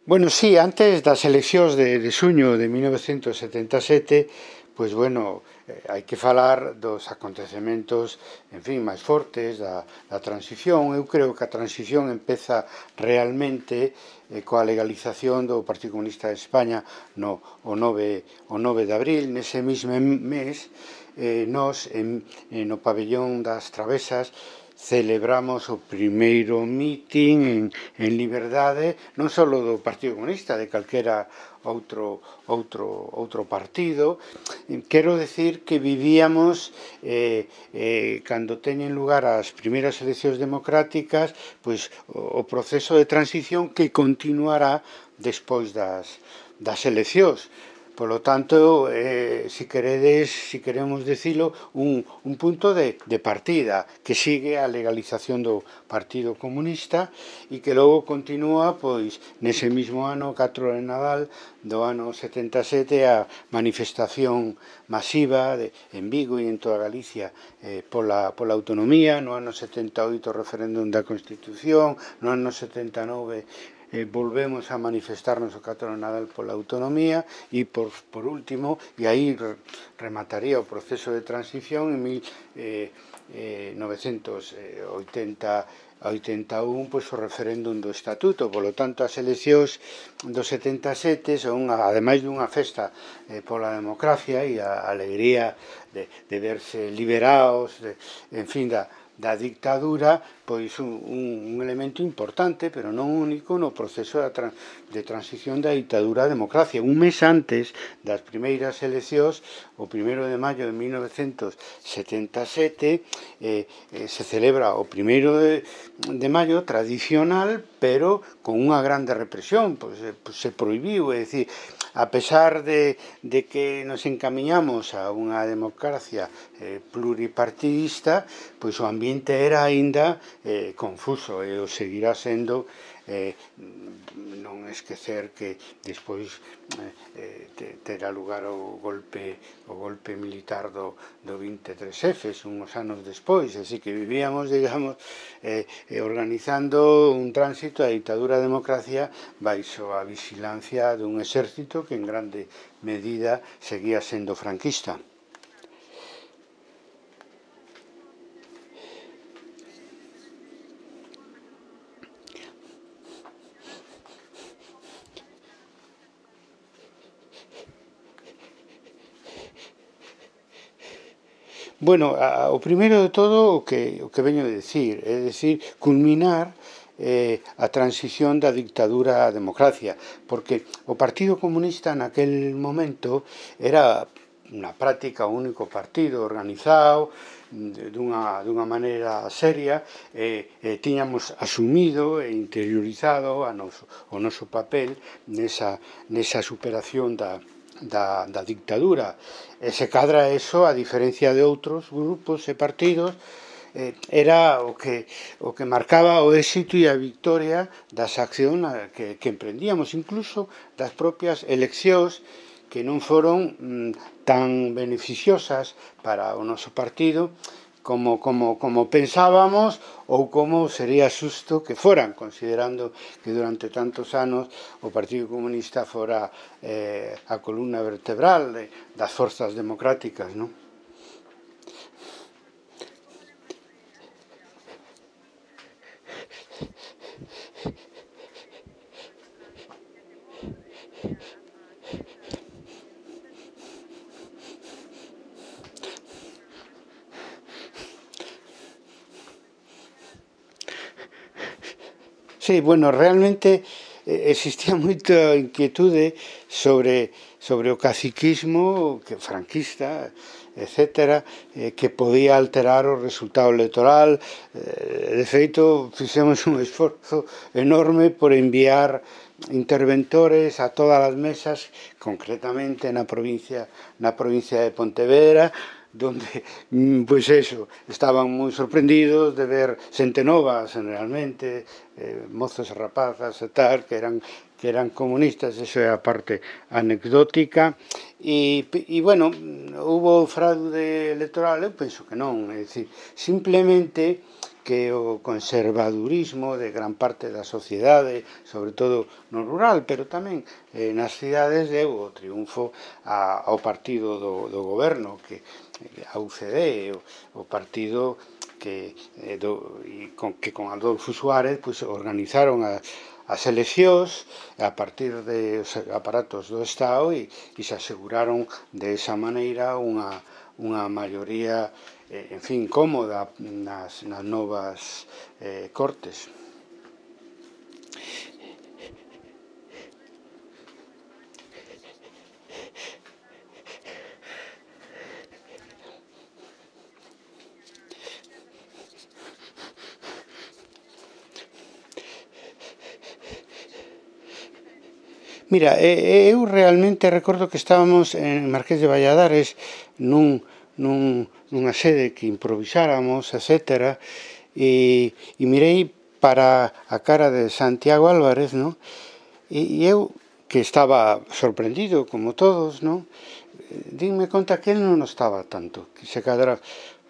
Bueno, sí, antes das eleccións de xuño de 1977, pois bueno, hai que falar dos acontecementos, en fin, máis fortes da transición. Eu creo que a transición empeza realmente coa legalización do Partido Comunista de España o 9 de abril. Nese mesmo mes, nós, no pabellón das Travesas, celebramos o primeiro mitin en liberdade, non só do Partido Comunista, de calquera outro partido. Quero decir que vivíamos, cando teñen lugar as primeiras eleccións democráticas, pois o proceso de transición que continuará despois das eleccións. Polo tanto, se queredes, se queremos dicilo, un punto de partida que sigue a legalización do Partido Comunista e que logo continúa, pois, nese mesmo ano, 4 de Nadal do ano 77, a manifestación masiva en Vigo e en toda Galicia pola autonomía. No ano 78 o referéndum da Constitución, no ano 79 volvemos a manifestarnos o 4 de Nadal pola autonomía e por último, e aí remataría o proceso de transición en 1981, pois o referéndum do Estatuto. Polo tanto, as eleccións do 77 son, ademais dunha festa pola democracia e a alegría de verse liberados, en fin, da dictadura, pois un elemento importante, pero non único, no proceso de transición da dictadura á democracia. Un mes antes das primeiras eleccións, o 1 de maio de 1977, se celebra o 1 de maio tradicional, pero con unha grande represión, pois se prohibiu, é dicir, a pesar de que nos encamiñamos a unha democracia pluripartidista, pois o ambiente era aínda confuso e o seguirá sendo. Non esquecer que despois terá lugar o golpe militar do 23F, uns anos despois, así que vivíamos, digamos, organizando un tránsito da dictadura á democracia baixo a vigilancia dun exército que en grande medida seguía sendo franquista. Bueno, o primeiro de todo o que veño de decir, é dicir, culminar a transición da dictadura á democracia, porque o Partido Comunista naquel momento era na práctica o único partido organizado dunha maneira seria. Tiñamos asumido e interiorizado o noso papel nesa superación da dictadura. E se cadra eso, a diferencia de outros grupos e partidos, era o que marcaba o éxito e a victoria das accións que emprendíamos, incluso das propias eleccións, que non foron tan beneficiosas para o noso partido como pensábamos ou como sería xusto que foran, considerando que durante tantos anos o Partido Comunista fora a columna vertebral das forzas democráticas, non? Sí, bueno, realmente existía moita inquietude sobre o caciquismo franquista, etcétera, que podía alterar o resultado electoral. De feito, fixemos un esforzo enorme por enviar interventores a todas as mesas, concretamente na provincia de Pontevedra, donde, pois eso, estaban moi sorprendidos de ver xente nova, generalmente, mozos e rapazas e tal, que eran comunistas. Eso é a parte anecdótica. E bueno, hubo fraude electoral? Eu penso que non, é dicir, simplemente que o conservadurismo de gran parte da sociedade, sobre todo no rural, pero tamén nas cidades, deu o triunfo ao partido do goberno, que a UCD, o partido que con Adolfo Suárez pues, organizaron as eleccións a partir dos aparatos do Estado e se aseguraron de esa maneira unha maioría en fin, cómoda nas novas cortes. Mira, eu realmente recordo que estábamos en Marqués de Valladares nunha sede que improvisáramos, etc. E mirei para a cara de Santiago Álvarez, ¿no? E eu, que estaba sorprendido, como todos, ¿no? Dime conta que él non estaba tanto, que se cadra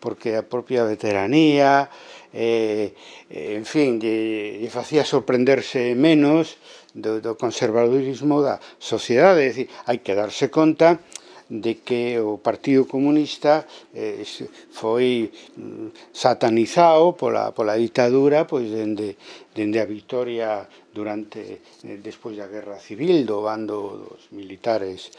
porque a propia veteranía, en fin, lle facía sorprenderse menos do conservadurismo da sociedade. É dicir, hai que darse conta de que o Partido Comunista foi satanizado pola ditadura pois dende a victoria despois da Guerra Civil do bando dos militares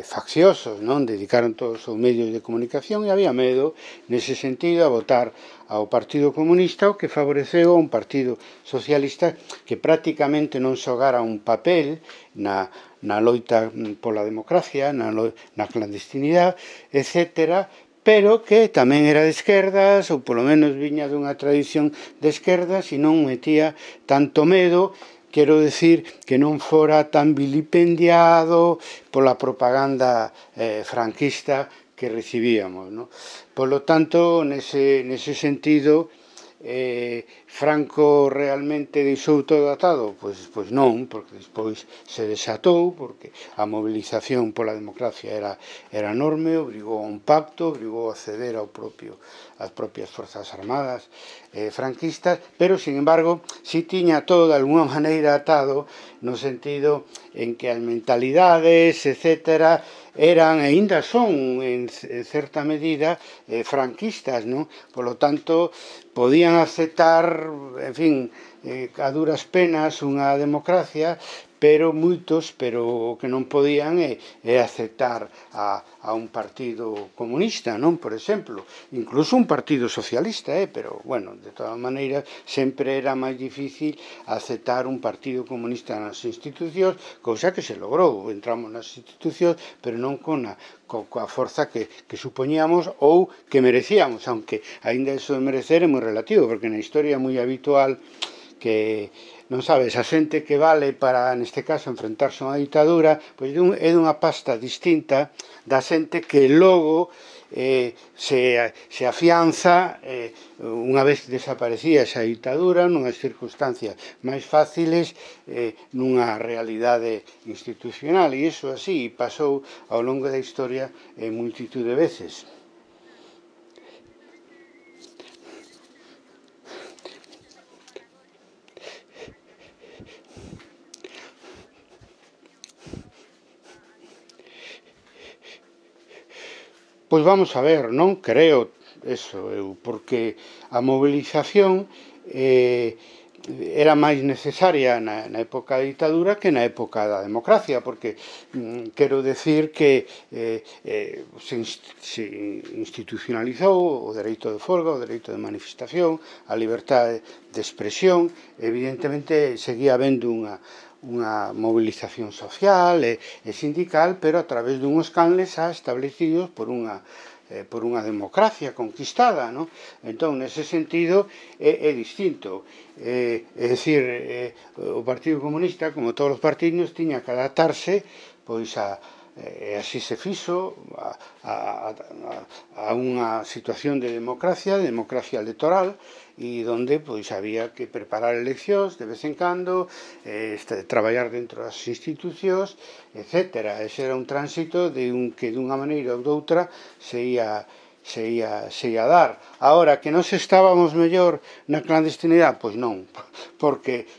facciosos, non? Dedicaron todos os medios de comunicación e había medo nese sentido a votar ao Partido Comunista, o que favoreceu a un Partido Socialista que prácticamente non xogara un papel na loita pola democracia, na clandestinidade, etc., pero que tamén era de esquerdas, ou polo menos viña dunha tradición de esquerdas e non metía tanto medo, quero decir que non fora tan vilipendiado pola propaganda franquista que recibíamos, ¿no? Polo tanto, nese sentido, Franco realmente deixou todo atado? Pois non, porque despois se desatou, porque a movilización pola democracia era enorme, obrigou a un pacto, obrigou a ceder ás propias forzas armadas franquistas, pero, sin embargo, si tiña todo de alguna maneira atado, no sentido en que as mentalidades, etc., eran e ainda son en certa medida franquistas, non? Polo tanto, podían aceptar, en fin, a duras penas unha democracia, pero o que non podían é aceptar a un partido comunista, non? Por exemplo, incluso un partido socialista, pero, bueno, de todas maneiras, sempre era máis difícil aceptar un partido comunista nas institucións, cousa que se logrou, entramos nas institucións, pero non coa forza que supoñíamos ou que merecíamos, aunque aínda iso de merecer é moi relativo, porque na historia é moi habitual que non sabes, a xente que vale para, neste caso, enfrentarse a unha ditadura, pois é dunha pasta distinta da xente que logo se afianza unha vez desaparecía esa ditadura nunhas circunstancias máis fáciles nunha realidade institucional, e iso así pasou ao longo da historia en multitud de veces. Pois vamos a ver, non creo eso, porque a movilización era máis necesaria na época da ditadura que na época da democracia, porque quero decir que se institucionalizou o dereito de folga, o dereito de manifestación, a liberdade de expresión, evidentemente seguía habendo unha movilización social e sindical, pero a través dunhos canles establecidos por unha democracia conquistada, non? Entón, nese sentido, é distinto. É dicir, o Partido Comunista, como todos os partidos, tiña que adaptarse pois e así se fixo a unha situación de democracia electoral, e donde pois había que preparar eleccións de vez en cando, traballar dentro das institucións, etc. Ese era un tránsito que dunha maneira ou doutra se ia se ia dar. Ahora, que nós estábamos mellor na clandestinidade? Pois non, porque,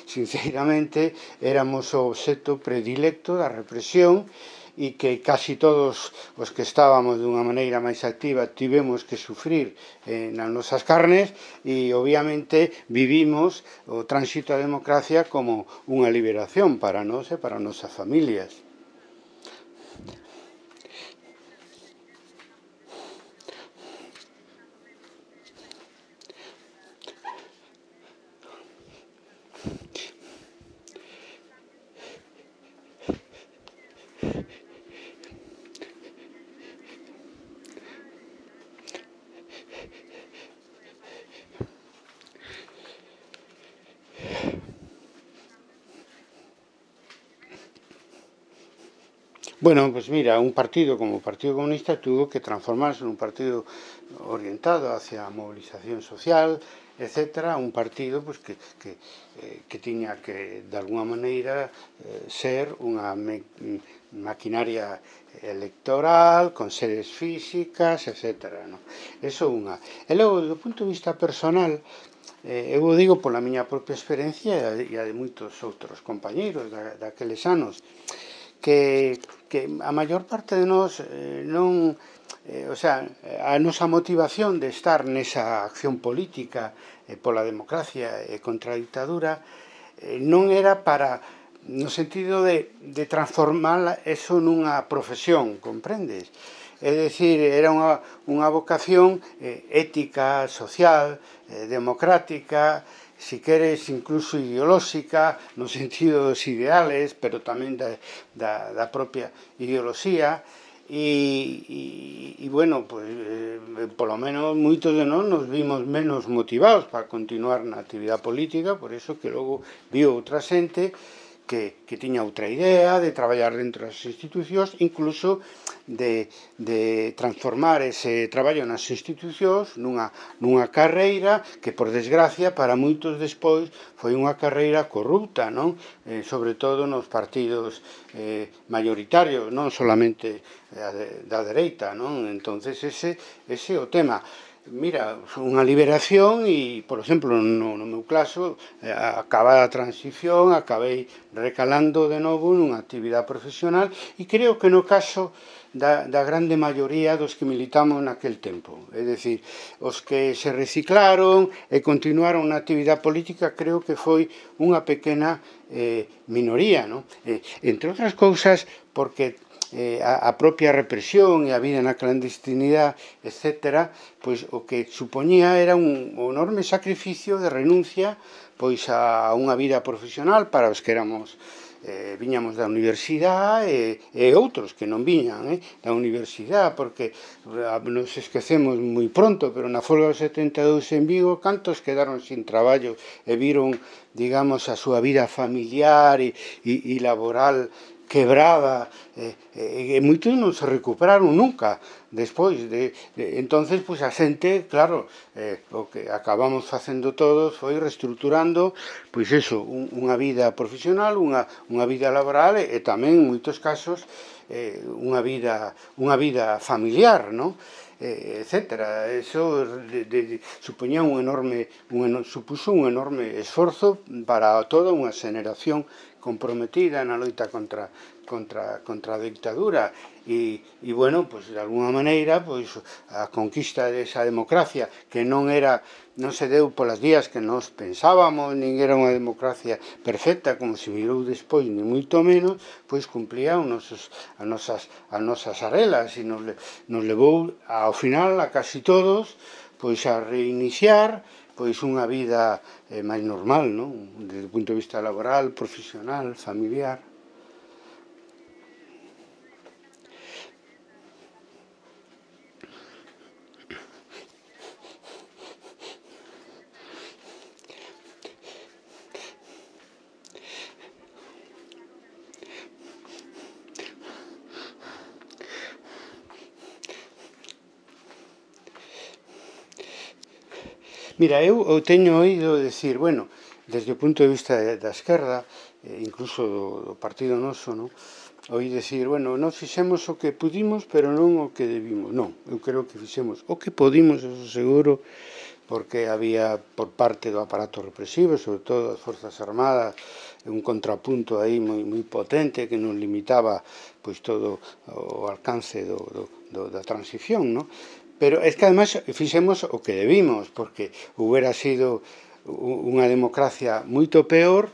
sinceramente, éramos o obxecto predilecto da represión e que casi todos os que estábamos dunha maneira máis activa tivemos que sufrir nas nosas carnes e obviamente vivimos o tránsito á democracia como unha liberación para nós e para as nosas familias. Bueno, pues mira, un partido como el Partido Comunista tuvo que transformarse en un partido orientado hacia movilización social, etcétera, un partido pues que tiña que, de alguna maneira, ser unha maquinaria electoral, con sedes físicas, etcétera. No? Eso unha. E logo, do punto de vista personal, eu o digo pola miña propia experiencia e a de moitos outros compañeiros daqueles anos, que a maior parte de nós non, o sea, a nosa motivación de estar nesa acción política pola democracia e contra a dictadura non era para, no sentido de transformar eso nunha profesión, comprendes? É dicir, era unha vocación ética, social, democrática, si queres incluso ideolóxica, no sentido dos ideales, pero tamén da propia ideoloxía, e bueno, pues, polo menos moitos de nós nos vimos menos motivados para continuar na actividade política, por eso que logo viu outra xente que tiña outra idea de traballar dentro das institucións, incluso de transformar ese traballo nas institucións nunha carreira que, por desgracia, para moitos despois foi unha carreira corrupta, non? Sobre todo nos partidos mayoritarios, non solamente da dereita, non? Entonces ese é o tema. Mira, unha liberación e, por exemplo, no meu caso, acabada a transición, acabei recalando de novo nunha actividade profesional e creo que no caso da grande maioría dos que militamos naquel tempo, é dicir, os que se reciclaron e continuaron na actividade política, creo que foi unha pequena minoría, non? Entre outras cousas, porque a propia represión e a vida na clandestinidade, etcétera, pois o que supoñía era un enorme sacrificio de renuncia pois a unha vida profesional para os que éramos viñamos da universidade e outros que non viñan da universidade, porque nos esquecemos moi pronto, pero na folga do 72 en Vigo, cantos quedaron sin traballo e viron, digamos, a súa vida familiar e laboral quebrada, e moitos non se recuperaron nunca despois entonces, pois a xente, claro, o que acabamos facendo todos foi reestructurando, pois eso, unha vida profesional, unha vida laboral e tamén, en moitos casos, unha vida familiar, non? Etcétera. Eso supuña supuso un enorme esforzo para toda unha xeneración comprometida na loita contra a dictadura e bueno, pues de alguna maneira pues a conquista desa democracia que non se deu polas vías que nos pensábamos, nin era unha democracia perfecta como se mirou despois, ni moito menos, pois cumplía as nosas arelas e nos levou ao final a casi todos pois a reiniciar pois unha vida máis normal, non? Desde o punto de vista laboral, profesional, familiar. Mira, eu teño oído decir, bueno, desde o punto de vista da esquerda, incluso do partido noso, non? Oí decir, bueno, non fixemos o que pudimos, pero non o que debimos. Non, eu creo que fixemos o que podimos, eso seguro, porque había por parte do aparato represivo, sobre todo das Forzas Armadas, un contrapunto aí moi potente que non limitaba pois todo o alcance da transición, non? Pero é que ademais fixemos o que debimos, porque hubiera sido unha democracia moito peor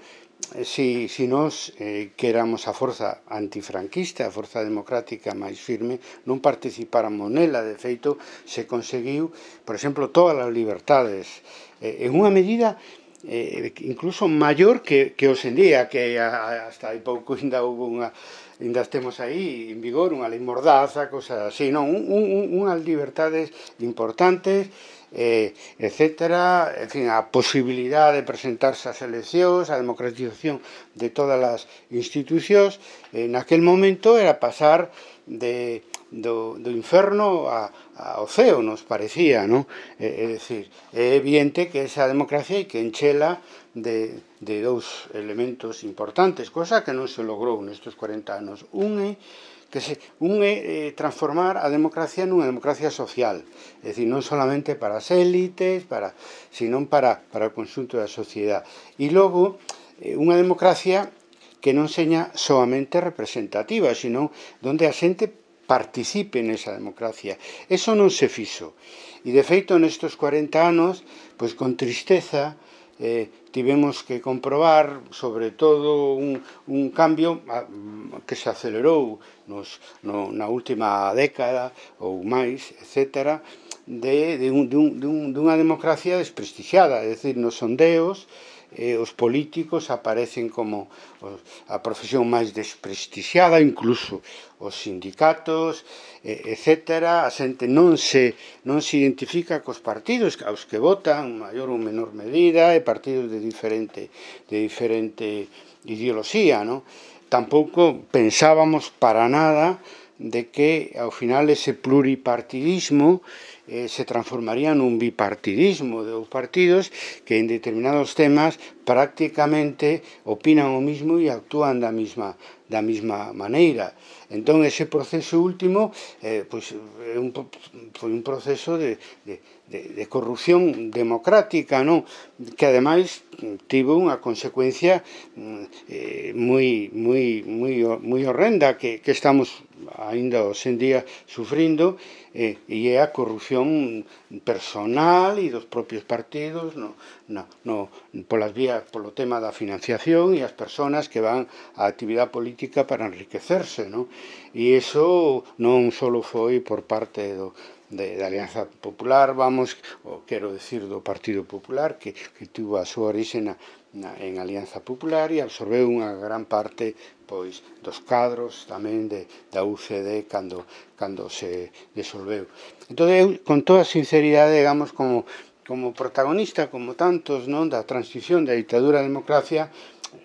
si nós que éramos a forza antifranquista, a forza democrática máis firme, non participáramos nela. De feito, se conseguiu, por exemplo, todas as libertades en unha medida incluso maior que hoxe en día, que hasta hai pouco ainda estemos aí en vigor unha lei mordaza, cosas así, non? Unhas libertades importantes, etcétera, en fin, a posibilidade de presentarse ás eleccións, a democratización de todas as institucións, naquel momento era pasar do inferno ao ceo, nos parecía, non? É dicir, é evidente que esa democracia hai que enchela de dous elementos importantes, cosa que non se logrou nestes 40 anos. Un é transformar a democracia nunha democracia social, é dicir, non solamente para as élites, sino para o conxunto da sociedade. E logo, unha democracia que non seña soamente representativa, sino onde a xente participe nesa democracia. Eso non se fixo. E, de feito, nestes 40 anos, pois con tristeza, tivemos que comprobar, sobre todo, un cambio que se acelerou na última década ou máis, etcétera, dunha democracia desprestixiada, é dicir, nos sondeos, os políticos aparecen como a profesión máis desprestixiada, incluso os sindicatos, etcétera. A xente non se identifica cos partidos aos que votan, maior ou menor medida, e partidos de diferente ideoloxía, non? Tampouco pensábamos para nada de que ao final ese pluripartidismo se transformaría nun bipartidismo de dous partidos que en determinados temas prácticamente opinan o mismo e actúan da mesma maneira. Entón, ese proceso último foi un proceso de corrupción democrática, non? Que ademais tivo unha consecuencia moi horrenda que estamos aínda hoxe en día sufrindo, e é a corrupción personal e dos propios partidos polo tema da financiación e as persoas que van á actividade política para enriquecerse, non? E iso non só foi por parte da Alianza Popular, quero decir, do Partido Popular, que tivo a súa orixe en Alianza Popular e absorbeu unha gran parte pois dos cadros tamén da UCD cando se disolveu. Entón, eu, con toda sinceridade, digamos, como protagonista, como tantos, non, da transición da ditadura á democracia,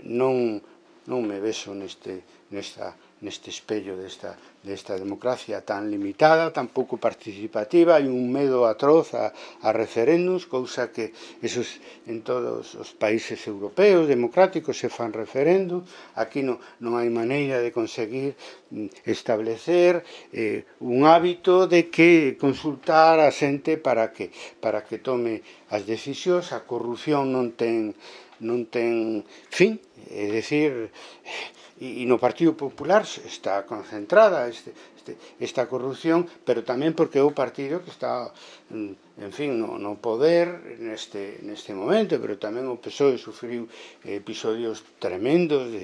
non me vexo neste espello desta democracia tan limitada, tan pouco participativa. Hai un medo atroz a referéndums, cousa que esos en todos os países europeos democráticos se fan referéndum. Aquí non hai maneira de conseguir establecer un hábito de que consultar a xente para que tome as decisións. A corrupción non ten fin, é dicir, e no Partido Popular está concentrada esta corrupción, pero tamén porque é o partido que está, en fin, no poder neste momento, pero tamén o PSOE sufriu episodios tremendos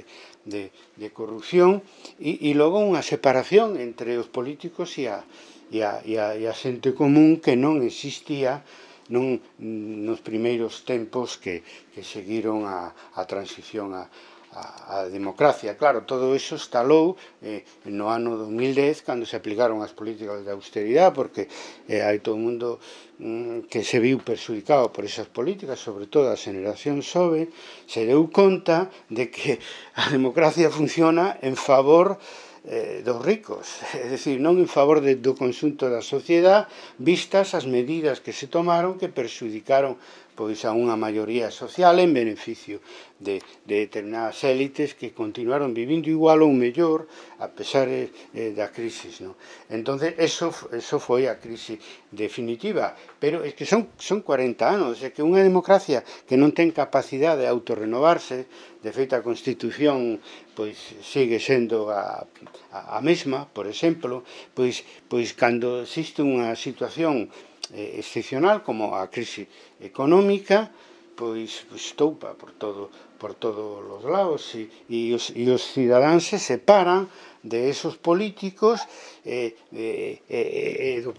de corrupción, e logo unha separación entre os políticos e a xente común que non existía nos primeiros tempos que seguiron a transición a democracia. Claro, todo iso estalou no ano 2010, cando se aplicaron as políticas de austeridade, porque hai todo o mundo que se viu perxudicado por esas políticas, sobre todo a xeración xove, se deu conta de que a democracia funciona en favor dos ricos, é dicir, non en favor do conxunto da sociedade, vistas as medidas que se tomaron que perxudicaron pois a unha maioría social en beneficio de determinadas élites que continuaron vivindo igual ou mellor a pesar da crisis, non? Entonces eso foi a crise definitiva, pero é que son 40 anos, é que unha democracia que non ten capacidade de autorrenovarse, de feito a Constitución pois sigue sendo a mesma, por exemplo, pois cando existe unha situación excepcional como a crise económica, pois toupa por todos os lados e os cidadáns se separan de esos políticos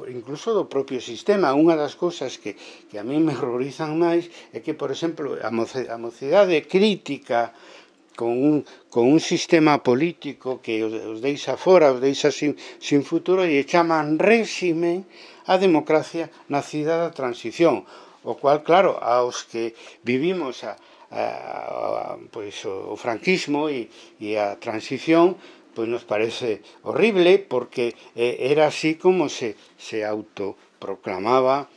incluso do propio sistema. Unha das cousas que a mí me horrorizan máis é que, por exemplo, a mocidade crítica con un sistema político que os deixa fora, os deixa sin futuro e chaman réxime a democracia nacida da transición, o cual, claro, aos que vivimos pois, o franquismo e a transición, pois nos parece horrible, porque era así como se autoproclamaba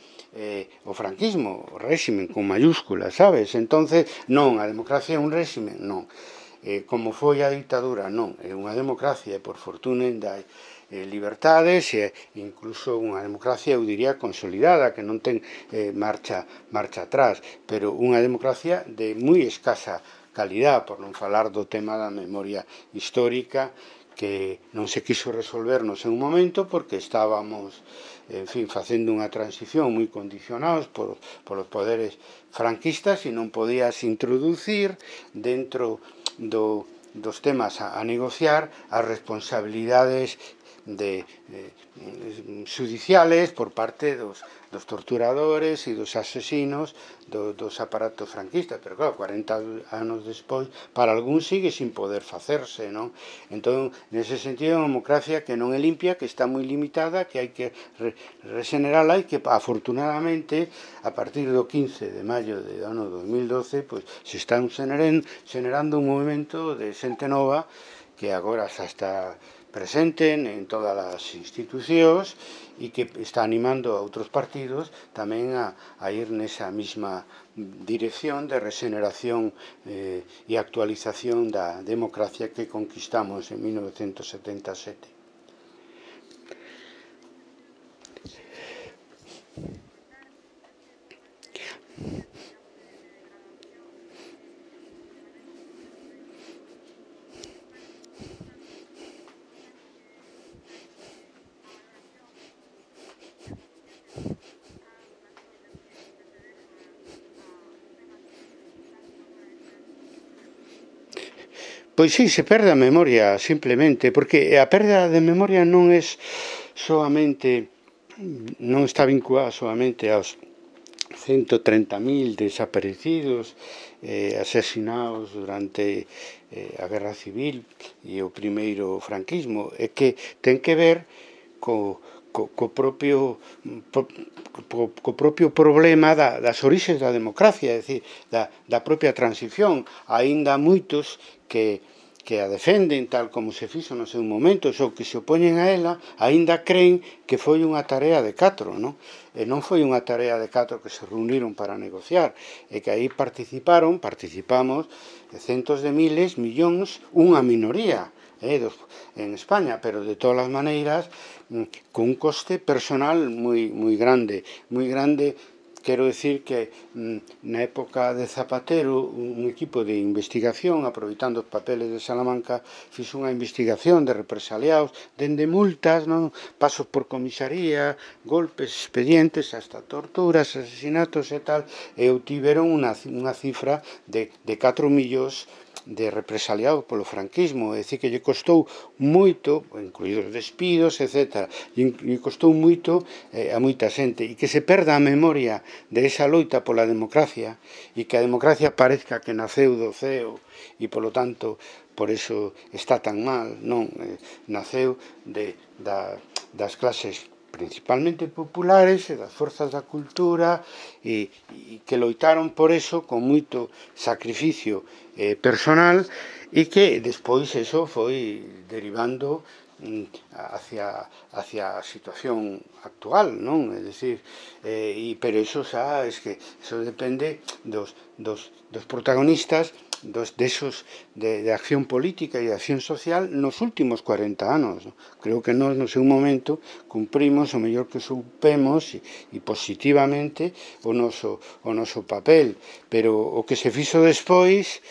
o franquismo, o réximen con mayúsculas, sabes? Entonces, non, a democracia é un réximen, non. Como foi a ditadura, non, é unha democracia, e por fortuna ainda hai libertades e incluso unha democracia, eu diría, consolidada, que non ten marcha atrás, pero unha democracia de moi escasa calidad, por non falar do tema da memoria histórica, que non se quiso resolver no seu momento porque estábamos, en fin, facendo unha transición moi condicionados polos poderes franquistas e non podías introducir dentro dos temas a negociar as responsabilidades judiciales por parte dos torturadores e dos asesinos dos aparatos franquistas, pero claro, 40 anos despois para algún sigue sin poder facerse, non? Entón, nese sentido, é unha democracia que non é limpia, que está moi limitada, que hai que regenerala e que afortunadamente a partir do 15 de maio do ano 2012 pois, se está generando un movimento de xente nova que agora xa está presente en todas as institucións e que está animando a outros partidos tamén a ir nesa mesma dirección de regeneración e actualización da democracia que conquistamos en 1977. Pois sí, se perde a memoria, simplemente, porque a perda de memoria non está vinculada solamente aos 130.000 desaparecidos, asesinados durante a Guerra Civil e o primeiro franquismo, é que ten que ver co propio problema das orixes da democracia, é dicir, da propia transición. Aínda moitos que a defenden tal como se fixo no seu momento, ou que se opoñen a ela, aínda creen que foi unha tarea de catro, non? E non foi unha tarea de catro que se reuniron para negociar, e que aí participamos centos de miles, millóns, unha minoría en España, pero de todas as maneiras con un coste personal moi grande, quero decir que na época de Zapatero un equipo de investigación, aproveitando os papeles de Salamanca, fixo unha investigación de represaliados, dende multas, non, pasos por comisaría, golpes, expedientes, hasta torturas, asesinatos e tal, e obtiveron unha cifra de 4 millóns de represaliados polo franquismo, é dicir, que lle costou moito, incluídos despidos, etc., e costou moito a moita xente, e que se perda a memoria de esa loita pola democracia, e que a democracia parezca que naceu do ceo, e polo tanto, por eso está tan mal, non, naceu das clases principalmente populares e das forzas da cultura e que loitaron por eso con moito sacrificio personal e que despois eso foi derivando hacia a situación actual, non? É dicir, pero iso xa, es que iso depende dos protagonistas de acción política e de acción social nos últimos 40 anos. Creo que nós, no seu momento, cumprimos o mellor que supemos e positivamente o noso papel, pero o que se fixo despois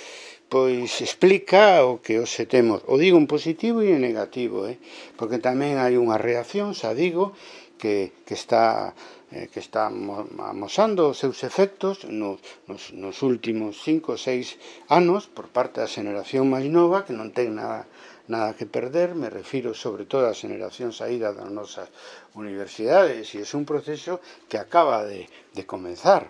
pois explica o que hoxe temos. O digo en positivo e en negativo, porque tamén hai unha reacción, xa digo, que está amosando os seus efectos nos últimos 5 ou 6 anos por parte da xeneración máis nova, que non ten nada que perder. Me refiro sobre todo á xeneración saída das nosas universidades, e é un proceso que acaba de comenzar.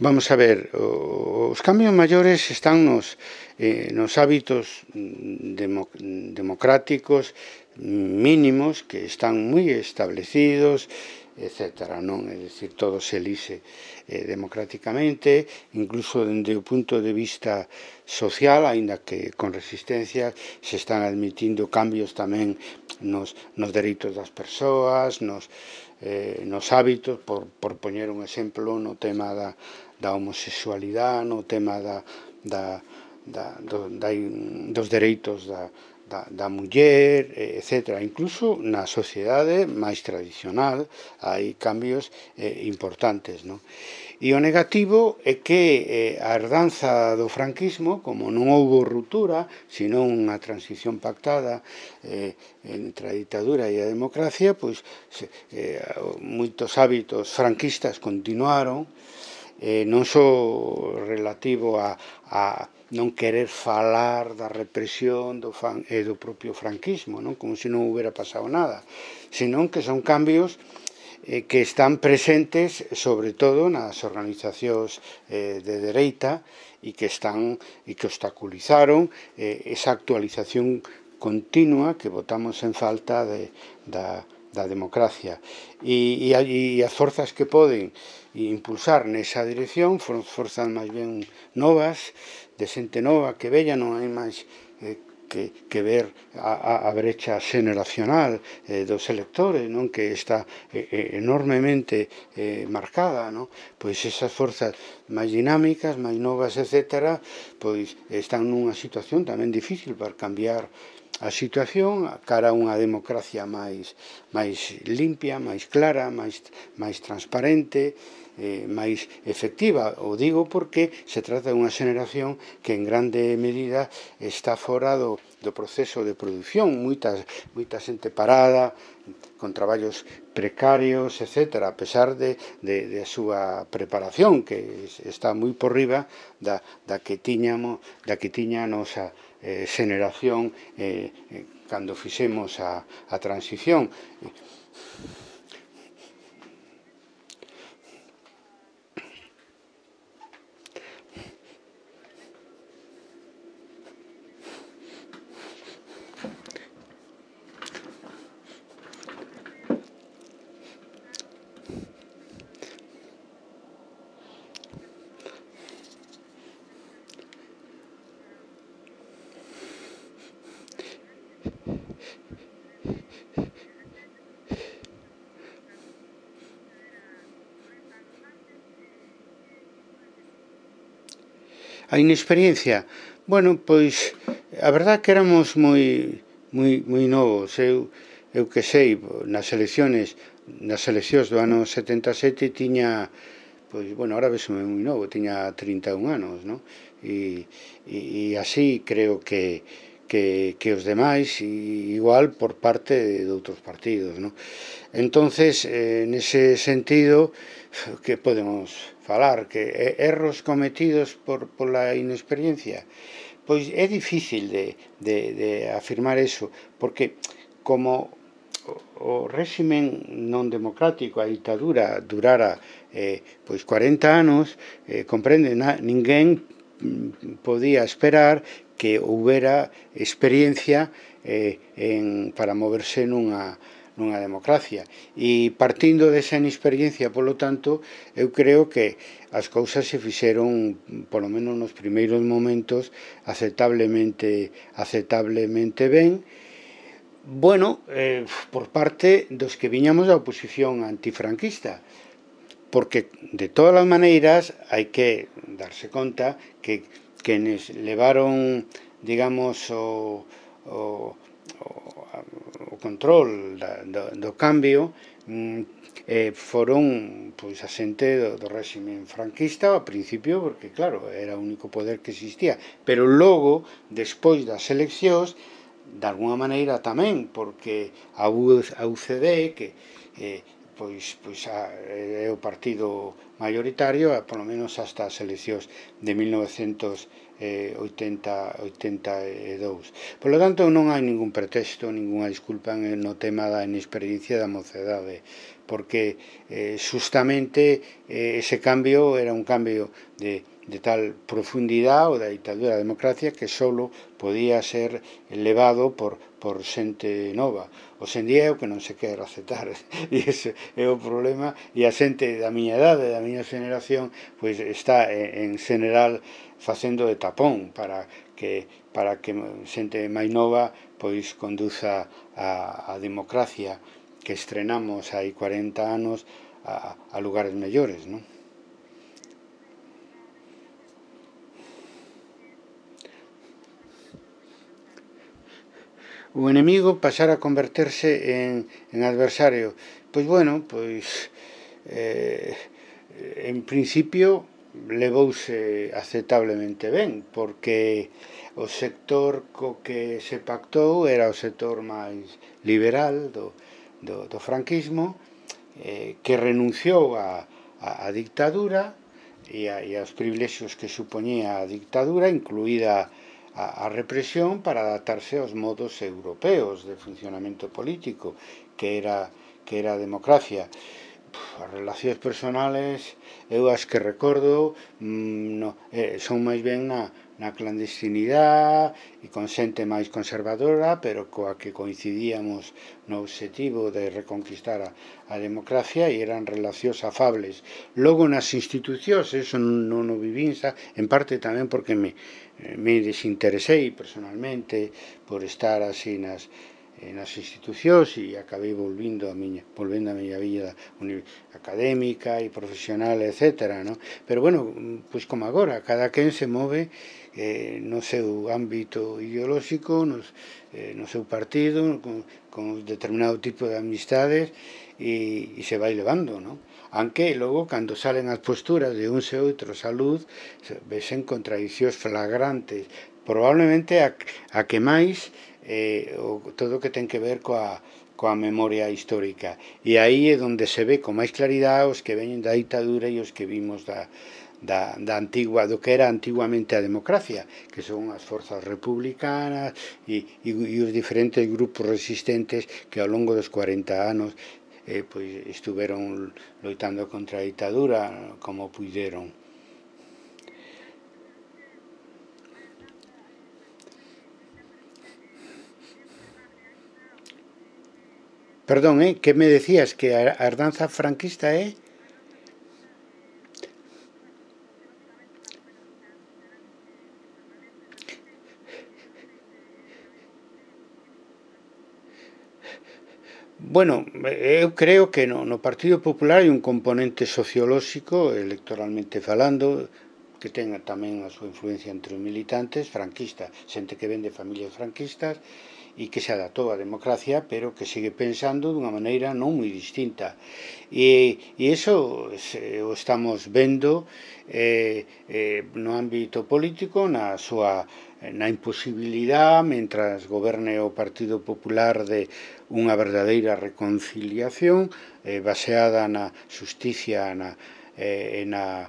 Vamos a ver, os cambios maiores están nos hábitos democráticos mínimos que están moi establecidos, etcétera, non? É dicir, todo se elixe democráticamente, incluso dende o punto de vista social, aínda que con resistencia se están admitindo cambios tamén nos dereitos das persoas, nos hábitos, por poñer un exemplo, no tema da homosexualidade, no tema dos dereitos da muller, etc. Incluso na sociedade máis tradicional hai cambios importantes, non? E o negativo é que a herdanza do franquismo, como non houbo ruptura, sino unha transición pactada entre a ditadura e a democracia, pois moitos hábitos franquistas continuaron, non só relativo a non querer falar da represión do propio franquismo, non? Como se non houbera pasado nada, senón que son cambios que están presentes sobre todo nas organizacións de dereita e que obstaculizaron esa actualización continua que botamos en falta da democracia. E as forzas que poden impulsar nesa dirección foron forzas máis ben novas, de xente nova que vella, non hai máis que ver a brecha xeneracional dos electores, non? Que está enormemente marcada, non? Pois esas forzas máis dinámicas, máis novas, etc., pois están nunha situación tamén difícil para cambiar a situación cara a unha democracia máis limpia, máis clara, máis transparente, máis efectiva. O digo porque se trata dunha xeneración que en grande medida está fora do proceso de produción, moita xente parada, con traballos precarios, etc., a pesar de a súa preparación, que está moi por riba da que tiña a nosa xeneración cando fixemos a transición. A inexperiencia, bueno, pois a verdad que éramos moi novos. Eu que sei, nas eleccións do ano 77 tiña, pois, bueno, ahora vesome moi novo, tiña 31 anos, non? E así creo que os demais, igual por parte de outros partidos, non? Entonces, nese sentido, que podemos falar? Que erros cometidos pola inexperiencia? Pois é difícil de afirmar eso, porque como o réximen non democrático, a ditadura, durara pois 40 anos, comprende, ninguén podía esperar que houbera experiencia para moverse nunha democracia. E partindo desa inexperiencia, polo tanto, eu creo que as cousas se fixeron, polo menos nos primeiros momentos, aceptablemente ben, bueno, por parte dos que viñamos da oposición antifranquista, porque de todas as maneiras hai que darse conta que quenes levaron, digamos, o control do cambio foron pois a xente do réximen franquista ao principio, porque claro, era o único poder que existía, pero logo, despois das eleccións, de alguna maneira tamén, porque a UCD, que pois é o partido mayoritario, polo menos hasta as eleccións de 1982. Por lo tanto, non hai ningún pretexto, ninguna disculpa no tema da inexperiencia da mocedade, porque justamente ese cambio era un cambio de tal profundidade, ou da ditadura da democracia, que solo podía ser levado por xente nova. Hoxendía é o que non se quer aceptar, e ese é o problema, e a xente da miña edade, da miña generación, pois está en general facendo de tapón para que xente máis nova pois conduza a democracia que estrenamos hai 40 anos a lugares mellores, non? O enemigo pasar a converterse en adversario. Pois bueno, pois en principio levouse aceptablemente ben, porque o sector co que se pactou era o sector máis liberal do franquismo, que renunciou á dictadura e aos privilexios que supoñía a dictadura, incluída a represión, para adaptarse aos modos europeos de funcionamento político, que era a democracia. As relacións personales, eu as que recordo, son máis ben na clandestinidade e con xente máis conservadora, pero coa que coincidíamos no objetivo de reconquistar a democracia, e eran relacións afables. Logo nas institucións, eso non o vivín, en parte tamén porque me desinteresei personalmente por estar así nas institucións, e acabei volvendo a miña vida académica e profesional, etc., no? Pero bueno, pois como agora, cada quen se move no seu ámbito ideolóxico, no seu partido, con determinado tipo de amistades, e se vai levando, no? Aunque logo, cando salen as posturas de uns e outros á luz, vesen contradicións flagrantes, probablemente a que máis todo o que ten que ver coa memoria histórica, e aí é onde se ve con máis claridade os que veñen da ditadura e os que vimos do que era antiguamente a democracia, que son as forzas republicanas e os diferentes grupos resistentes que ao longo dos 40 anos pois estuveron loitando contra a ditadura como puideron. Perdón, que me decías que a herdanza franquista é? Bueno, eu creo que no Partido Popular hai un componente sociolóxico, electoralmente falando, que ten tamén a súa influencia entre os militantes franquistas, xente que ven de familias franquistas e que se adaptou á democracia, pero que segue pensando dunha maneira non moi distinta. E iso o estamos vendo no ámbito político, na imposibilidade, mentras goberne o Partido Popular, de unha verdadeira reconciliación baseada na xusticia e na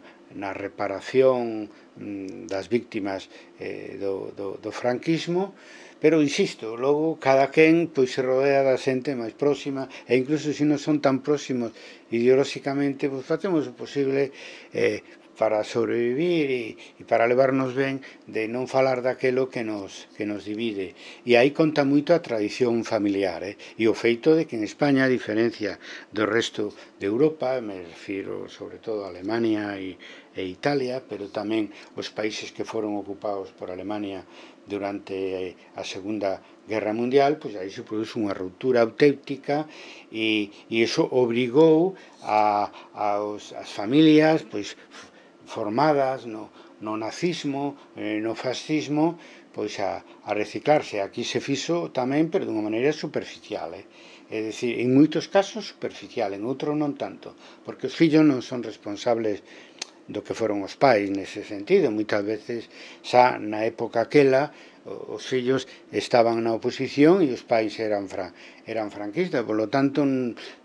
reparación das víctimas do franquismo, pero insisto, logo cada quen pois se rodea da xente máis próxima, e incluso se non son tan próximos ideolóxicamente, pois facemos o posible para sobrevivir e para levarnos ben de non falar daquelo que nos divide. E aí conta moito a tradición familiar, e o feito de que en España, a diferencia do resto de Europa, me refiro sobre todo a Alemania e Italia, pero tamén os países que foron ocupados por Alemania durante a Segunda Guerra Mundial, pois aí se produce unha ruptura auténtica e iso obrigou as familias pois formadas no nazismo, no fascismo, pois a reciclarse. Aquí se fixo tamén, pero dunha maneira superficial, é dicir, en moitos casos superficial, en outros non tanto, porque os fillos non son responsables do que foron os pais nese sentido. Moitas veces, xa na época aquela, os fillos estaban na oposición e os pais eran franquistas, polo tanto,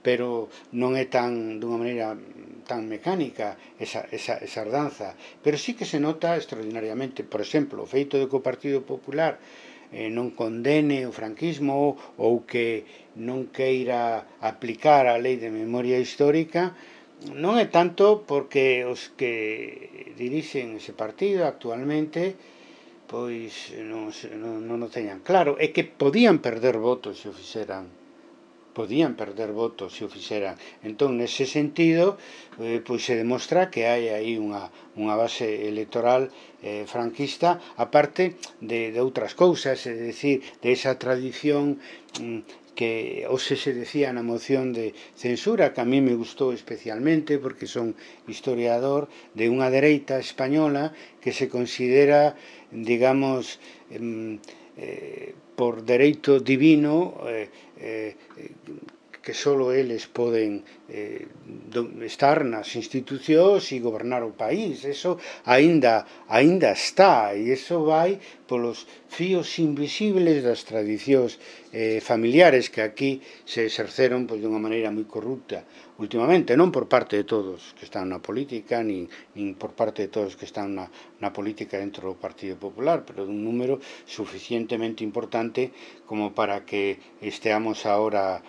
pero non é tan, dunha maneira tan mecánica esa herdanza, pero sí que se nota extraordinariamente. Por exemplo, o feito de que o Partido Popular non condene o franquismo ou que non queira aplicar a lei de memoria histórica, non é tanto porque os que dirixen ese partido actualmente pois non o teñan claro, é que podían perder votos se o fixeran. Entón, nese sentido, pois se demostra que hai aí unha base electoral franquista, aparte de outras cousas, é dicir, de esa tradición que hoxe se decía na moción de censura, que a mí me gustou especialmente porque son historiador, de unha dereita española que se considera, digamos, por dereito divino, que só eles poden estar nas institucións e gobernar o país. Eso aínda está, e eso vai polos fíos invisibles das tradicións familiares que aquí se exerceron pois, dunha maneira moi corrupta últimamente, non por parte de todos que están na política, nin por parte de todos que están na política dentro do Partido Popular, pero dun número suficientemente importante como para que esteamos ahora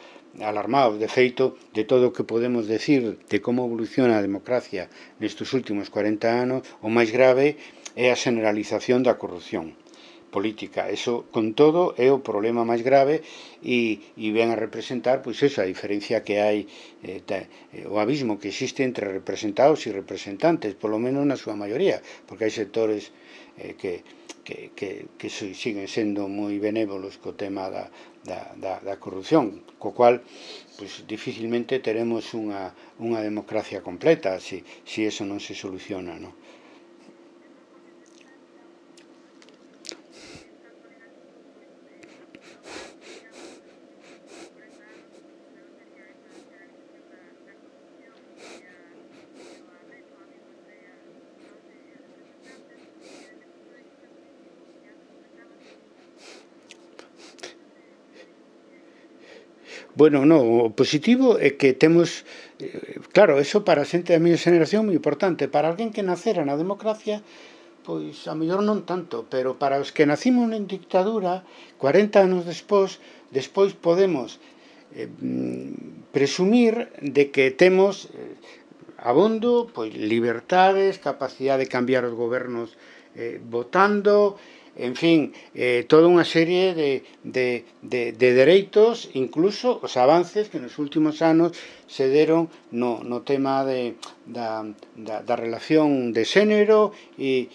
alarmados. De feito, de todo o que podemos decir de como evoluciona a democracia nestes últimos 40 anos, o máis grave é a generalización da corrupción política. Eso, con todo, é o problema máis grave e ven a representar, pois eso, a diferencia que hai, o abismo que existe entre representados e representantes, polo menos na súa maioría, porque hai sectores que siguen sendo moi benévolos co tema da corrupción, co cual pois, dificilmente teremos unha democracia completa se eso non se soluciona, non? Bueno, non, o positivo é que temos, claro, eso para a xente da miña xeración moi importante. Para alguén que nacera na democracia, pois a mellor non tanto, pero para os que nacimos en dictadura, 40 anos despois podemos presumir de que temos abondo, pois libertades, capacidade de cambiar os gobernos votando, en fin, toda unha serie de dereitos, incluso os avances que nos últimos anos se deron no tema da relación de xénero e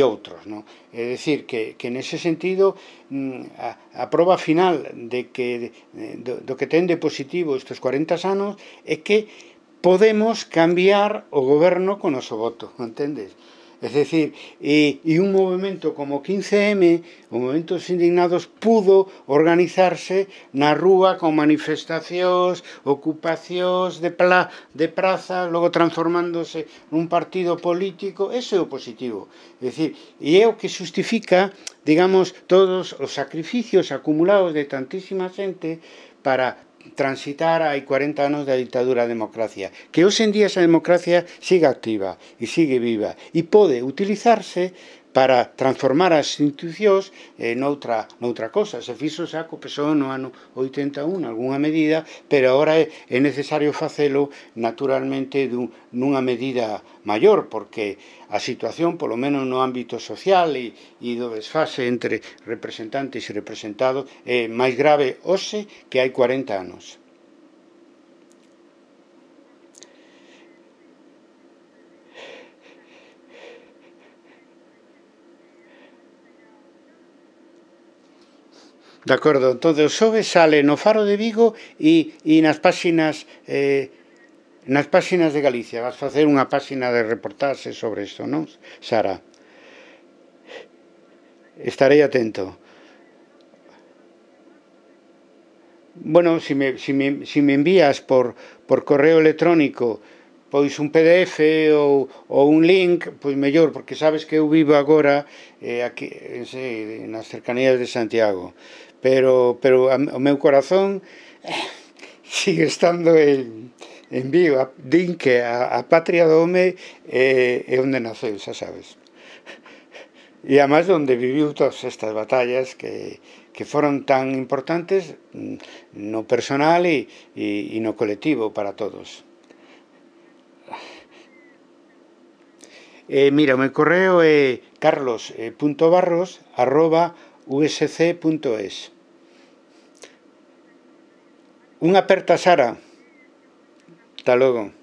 outros, non? É dicir, que nese sentido a proba final de que do que ten de positivo estes 40 anos é que podemos cambiar o goberno con o noso voto, entendes? É dicir, e un movimento como 15M, o movimento dos indignados, pudo organizarse na rúa con manifestacións, ocupacións de prazas, logo transformándose nun partido político. Ese é o positivo. É dicir, e é o que justifica, digamos, todos os sacrificios acumulados de tantísima xente para transitar hai 40 anos da ditadura da democracia, que hoxe en día esa democracia sigue activa e sigue viva e pode utilizarse para transformar as institucións noutra cosa. Se fixo xa co PSOE no ano 81 algunha medida, pero agora é necesario facelo naturalmente nunha medida maior, porque a situación, polo menos no ámbito social e do desfase entre representantes e representados, é máis grave hoxe que hai 40 anos. De acordo, entón o xoves sale no Faro de Vigo e nas páxinas de Galicia. Vas facer unha páxina de reportaxe sobre isto, non, Sara? Estarei atento. Bueno, si me envías por correo electrónico pois un PDF ou un link, pois mellor, porque sabes que eu vivo agora aquí nas cercanías de Santiago, pero o meu corazón sigue estando en Vigo. Din que a patria do home é onde naceu, xa sabes, e además onde viviu todas estas batallas que foron tan importantes no personal e no colectivo para todos. Mira, o meu correo é carlos.barros@usc.es. Unha aperta, Sara. Hasta logo.